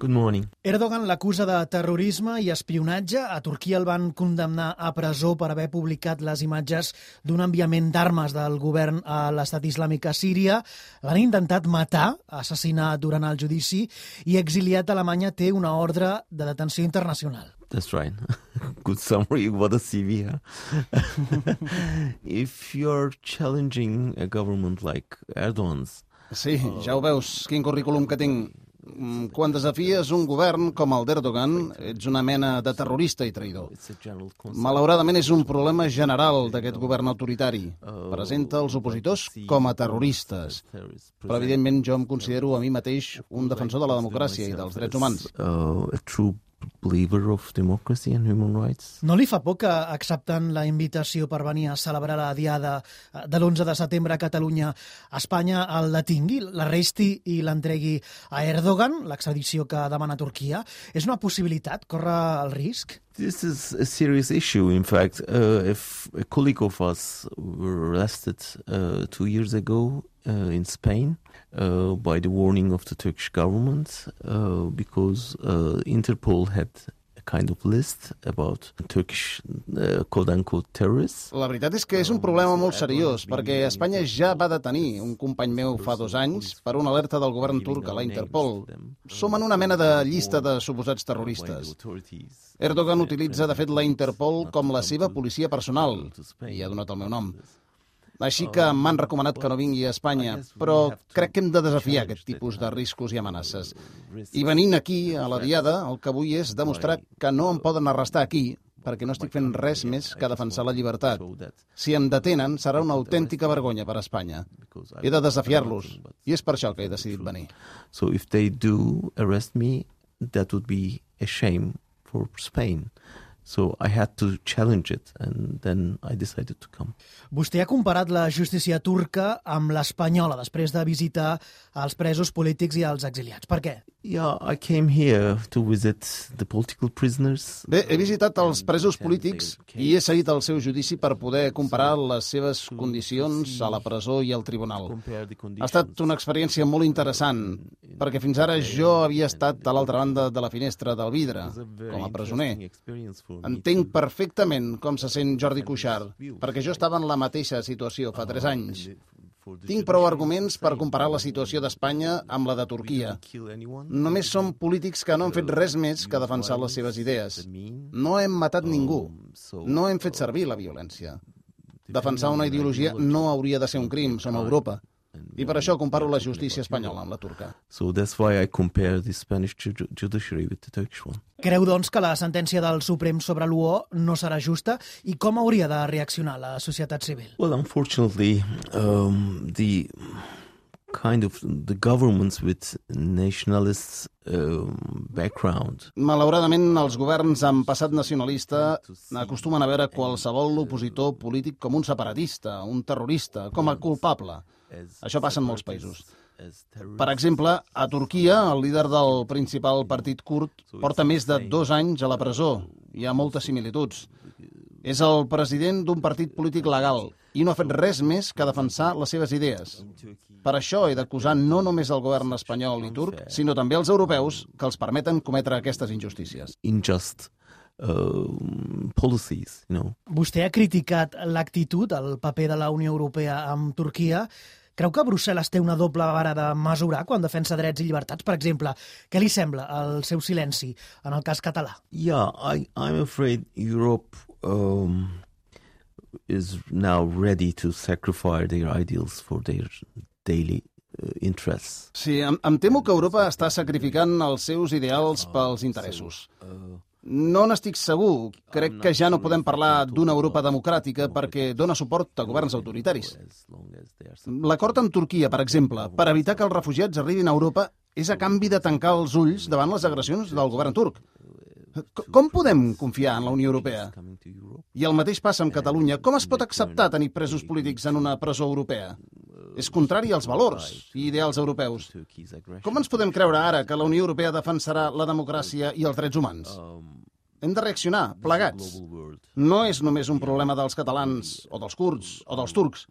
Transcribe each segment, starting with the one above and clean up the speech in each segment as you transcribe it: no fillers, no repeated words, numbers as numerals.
Good morning. Erdogan l'acusa de terrorisme i espionatge. A Turquia el van condemnar a presó per haver publicat les imatges d'un enviament d'armes del govern a l'estat islàmic a Síria. L'han intentat matar, assassinar durant el judici i exiliat a Alemanya té una ordre de detenció internacional. That's right. Good summary. What a CV, huh? If you're challenging a government like Erdogan's... Sí, ja ho veus, quin currículum que tinc. Quan desafies un govern com el d'Erdogan, ets una mena de terrorista i traïdor. Malauradament és un problema general d'aquest govern autoritari. Presenta els opositors com a terroristes. Però, evidentment, jo em considero a mi mateix un defensor de la democràcia i dels drets humans. A true believer of democracy and human rights. No li fa por que accepten la invitació per venir a celebrar la diada de l'11 de setembre a Catalunya, Espanya el detingui, l'arresti i l'entregui a Erdogan, l'extradició que demana Turquia? És una possibilitat? Corre el risc? This is a serious issue. In fact, if a colleague of us were arrested 2 years ago in Spain by the warning of the Turkish government because Interpol had a kind of list about Turkish quote-unquote terrorists. La veritat és que és un problema molt seriós, perquè Espanya ja va detenir un company meu fa 2 anys per una alerta del govern turc a la Interpol. Som en una mena de llista de suposats terroristes. Erdogan utilitza, de fet, la Interpol com la seva policia personal, i ha donat el meu nom. Així que m'han recomanat que no vingui a Espanya, però crec que hem de desafiar aquest tipus de riscos i amenaces. I venint aquí, a la diada, el que vull és demostrar que no em poden arrestar aquí, perquè no estic fent res més que defensar la llibertat. Si em detenen, serà una autèntica vergonya per a Espanya. He de desafiar-los, i és per això que he decidit venir. So if they do arrest me, that would be a shame for Spain. So I had to challenge it, and then I decided to come. Vostè ha comparat la justícia turca amb l'espanyola després de visitar els presos polítics i els exiliats. Per què? Yeah, I came here to visit the political prisoners. Bé, he visitat els presos polítics i he seguit el seu judici per poder comparar les seves condicions a la presó i al tribunal. Ha estat una experiència molt interessant, perquè fins ara jo havia estat a l'altra banda de la finestra del vidre, com a presoner. Entenc perfectament com se sent Jordi Cuixart, perquè jo estava en la mateixa situació fa 3 anys. Tinc prou arguments per comparar la situació d'Espanya amb la de Turquia. Només són polítics que no han fet res més que defensar les seves idees. No hem matat ningú. No hem fet servir la violència. Defensar una ideologia no hauria de ser un crim, som a Europa. I per això comparo la justícia espanyola amb la turca. So that's why I compare the Spanish judiciary with the Turkish one. Creu, doncs, que la sentència del Suprem sobre l'UO no serà justa? I com hauria de reaccionar la societat civil? Well, unfortunately, the governments with nationalist background. Malauradament, els governs amb passat nacionalista acostumen a veure qualsevol opositor polític com un separatista, un terrorista, com a culpable. Això passa en molts països. Per exemple, a Turquia, el líder del principal partit kurd porta més de 2 anys a la presó. Hi ha moltes similituds. És el president d'un partit polític legal i no ha fet res més que defensar les seves idees. Per això he d'acusar no només el govern espanyol i turc, sinó també els europeus que els permeten cometre aquestes injustícies. Injust policies, you know. Vostè ha criticat l'actitud, el paper de la Unió Europea amb Turquia. Creu que Brussel·les té una doble vara de mesurar quan defensa drets i llibertats? Per exemple, què li sembla el seu silenci en el cas català? Yeah, I'm afraid Europe is now ready to sacrifice their ideals for their daily interests. Sí, em temo que Europa està sacrificant els seus ideals pels interessos. No n'estic segur. Crec que ja no podem parlar d'una Europa democràtica perquè dona suport a governs autoritaris. L'acord amb Turquia, per exemple, per evitar que els refugiats arribin a Europa, és a canvi de tancar els ulls davant les agressions del govern turc. Com podem confiar en la Unió Europea? I el mateix passa amb Catalunya. Com es pot acceptar tenir presos polítics en una presó europea? És contrari als valors i ideals europeus. Com ens podem creure ara que la Unió Europea defensarà la democràcia i els drets humans? Hem de reaccionar, plegats. No és només un problema dels catalans, o dels kurds, o dels turcs.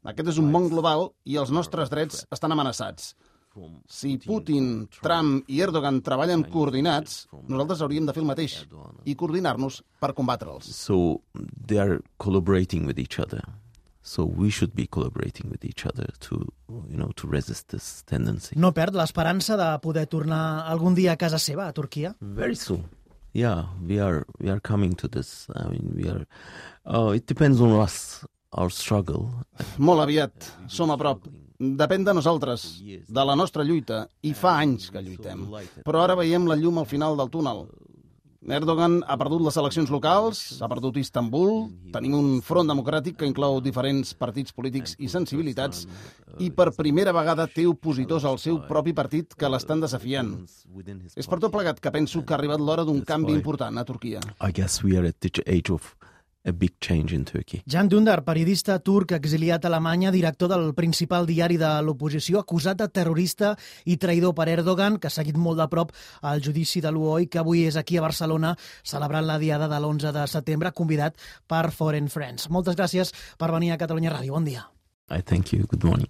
Aquest és un món global i els nostres drets estan amenaçats. Si Putin, Trump i Erdogan treballen coordinats, nosaltres hauríem de fer el mateix i coordinar-nos per combatre'ls. So they are collaborating with each other. So we should be collaborating with each other to resist this tendency. No perd l'esperança de poder tornar algun dia a casa seva, a Turquia? Very soon. Yeah, we are coming to this. I mean, it depends on us, our struggle. Molt aviat, som a prop. Depèn de nosaltres, de la nostra lluita, i fa anys que lluitem. Però ara veiem la llum al final del túnel. Erdogan ha perdut les eleccions locals, ha perdut Istanbul, tenim un front democràtic que inclou diferents partits polítics i sensibilitats, i per primera vegada té opositors al seu propi partit que l'estan desafiant. És per tot plegat que penso que ha arribat l'hora d'un canvi important a Turquia. I guess we are at the age of a big change in Turkey. Can Dündar, periodista turc exiliat a Alemanya, director del principal diari de l'oposició, acusat de terrorista i traïdor per Erdogan, que ha seguit molt de prop el judici de l'UOI, que avui és aquí a Barcelona celebrant la diada de l'11 de setembre, convidat per Foreign Friends. Moltes gràcies per venir a Catalunya Ràdio. Bon dia. I thank you. Good morning.